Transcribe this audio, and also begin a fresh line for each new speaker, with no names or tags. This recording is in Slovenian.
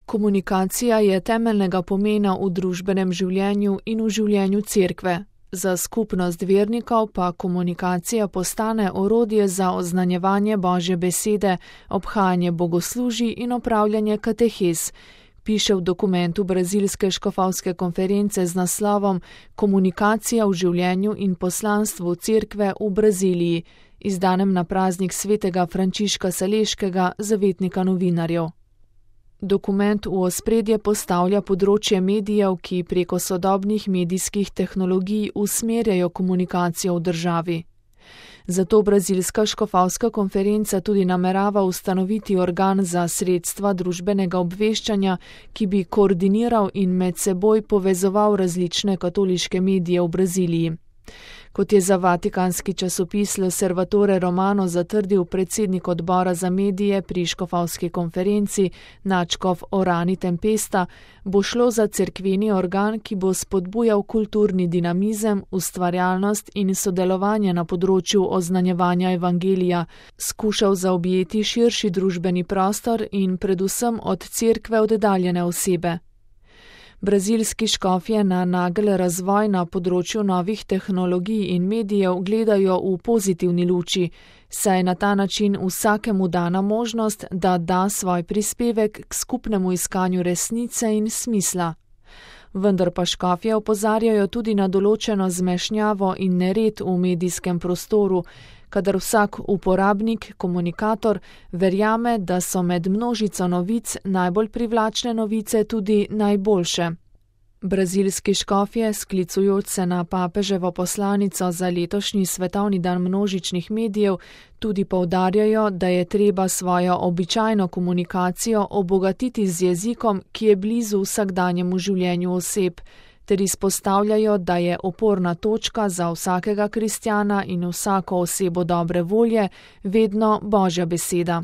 Komunikacija je temeljnega pomena v družbenem življenju in v življenju cerkve. Za skupnost vernikov pa komunikacija postane orodje za oznanjevanje Božje besede, obhajanje bogoslužij in opravljanje katehez, piše v dokumentu Brazilske škofovske konference z naslovom Komunikacija v življenju in poslanstvu cerkve v Braziliji, izdanem na praznik svetega Frančiška Saleškega, zavetnika novinarjev. Dokument v ospredje postavlja področje medijev, ki preko sodobnih medijskih tehnologij usmerjajo komunikacijo v državi. Zato Brazilska škofovska konferenca tudi namerava ustanoviti organ za sredstva družbenega obveščanja, ki bi koordiniral in med seboj povezoval različne katoliške medije v Braziliji. Kot je za vatikanski časopis L'Osservatore Romano zatrdil predsednik odbora za medije pri škofovski konferenci nadškof Orani Tempesta, bo šlo za cerkveni organ, ki bo spodbujal kulturni dinamizem, ustvarjalnost in sodelovanje na področju oznanjevanja evangelija, skušal zaobjeti širši družbeni prostor in predvsem od cerkve oddaljene osebe. Brazilski škofje na nagel razvoj na področju novih tehnologij in medijev gledajo v pozitivni luči, saj na ta način vsakemu dana možnost, da da svoj prispevek k skupnemu iskanju resnice in smisla. Vendar pa škofje opozarjajo tudi na določeno zmešnjavo in nered v medijskem prostoru, kadar vsak uporabnik, komunikator, verjame, da so med množico novic najbolj privlačne novice tudi najboljše. Brazilski škofje, sklicujoč se na papeževo poslanico za letošnji svetovni dan množičnih medijev, tudi poudarjajo, da je treba svojo običajno komunikacijo obogatiti z jezikom, ki je blizu vsakdanjemu življenju oseb, ter izpostavljajo, da je oporna točka za vsakega kristjana in vsako osebo dobre volje vedno Božja beseda.